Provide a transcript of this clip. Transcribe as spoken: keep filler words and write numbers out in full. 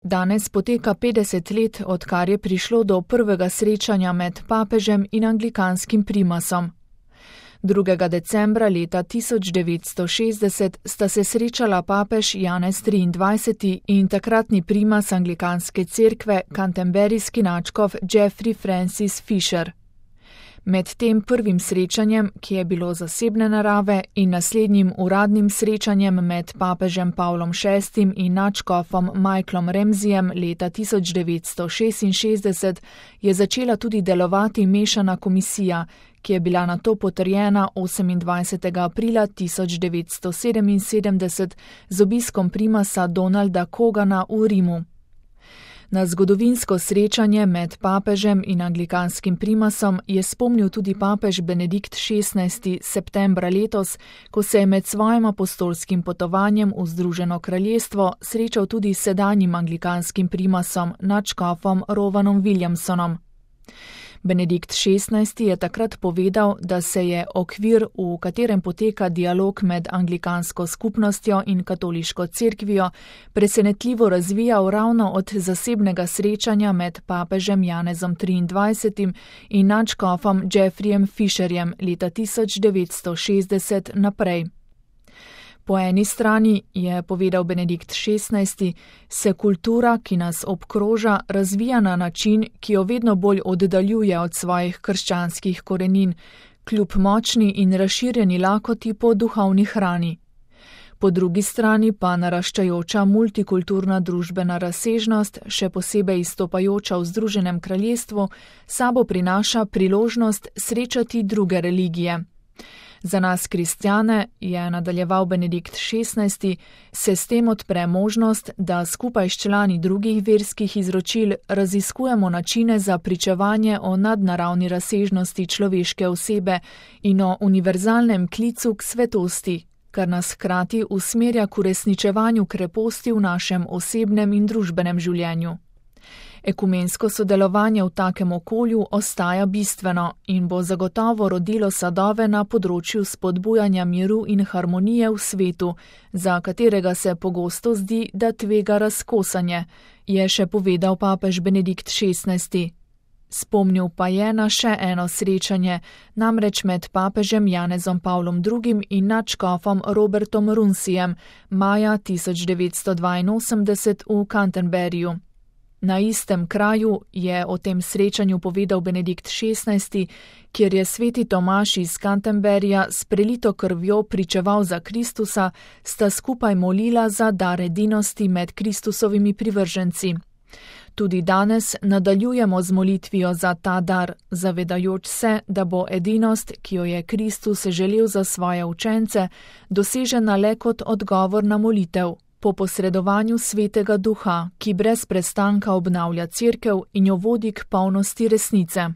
Danes poteka petdeset let, odkar je prišlo do prvega srečanja med papežem in anglikanskim primasom. drugega decembra leta tisoč devetsto šestdeset sta se srečala papež Janez triindvajseti in takratni primas anglikanske cerkve, canterburyski nadškof Geoffrey Francis Fisher. Med tem prvim srečanjem, ki je bilo zasebne narave, in naslednjim uradnim srečanjem med papežem Pavlom šestim in nadškofom Michaelom Ramsayjem leta tisoč devetsto šestinšestdeset je začela tudi delovati mešana komisija, ki je bila nato potrjena osemindvajsetega aprila tisoč devetsto sedeminsedemdeset z obiskom primasa Donalda Cogana v Rimu. Na zgodovinsko srečanje med papežem in anglikanskim primasom je spomnil tudi papež Benedikt šestnajsti septembra letos, ko se je med svojim apostolskim potovanjem v Združeno kraljestvo srečal tudi s sedanjim anglikanskim primasom, nadškofom Rovanom Williamsonom. Benedikt šestnajsti je takrat povedal, da se je okvir, v katerem poteka dialog med anglikansko skupnostjo in katoliško cerkvijo, presenetljivo razvijal ravno od zasebnega srečanja med papežem Janezom triindvajsetim in nadškofom Geoffreyjem Fisherjem leta tisoč devetsto šestdeset naprej. Po eni strani, je povedal Benedikt šestnajsti, se kultura, ki nas obkroža, razvija na način, ki jo vedno bolj oddaljuje od svojih krščanskih korenin, kljub močni in razširjeni lakoti po duhovni hrani. Po drugi strani pa naraščajoča multikulturna družbena razsežnost, še posebej izstopajoča v Združenem kraljestvu, sabo prinaša priložnost srečati druge religije. Za nas kristjane, je nadaljeval Benedikt šestnajsti, se s tem odpre možnost, da skupaj s člani drugih verskih izročil raziskujemo načine za pričevanje o nadnaravni razsežnosti človeške osebe in o univerzalnem klicu k svetosti, kar nas hkrati usmerja k uresničevanju kreposti v našem osebnem in družbenem življenju. Ekumensko sodelovanje v takem okolju ostaja bistveno in bo zagotovo rodilo sadove na področju spodbujanja miru in harmonije v svetu, za katerega se pogosto zdi, da tvega razkosanje, je še povedal papež Benedikt šestnajsti. Spomnil pa je na še eno srečanje, namreč med papežem Janezom Pavlom drugim in nadškofom Robertom Runsijem maja tisoč devetsto dvainosemdeset v Canterburyju. Na istem kraju, je o tem srečanju povedal Benedikt šestnajsti, kjer je sveti Tomaž iz Canterburyja s prelito krvjo pričeval za Kristusa, sta skupaj molila za dar edinosti med Kristusovimi privrženci. Tudi danes nadaljujemo z molitvijo za ta dar, zavedajoč se, da bo edinost, ki jo je Kristus želel za svoje učence, dosežena le kot odgovor na molitev, po posredovanju Svetega Duha, ki brez prestanka obnavlja cerkev in jo vodi k polnosti resnice.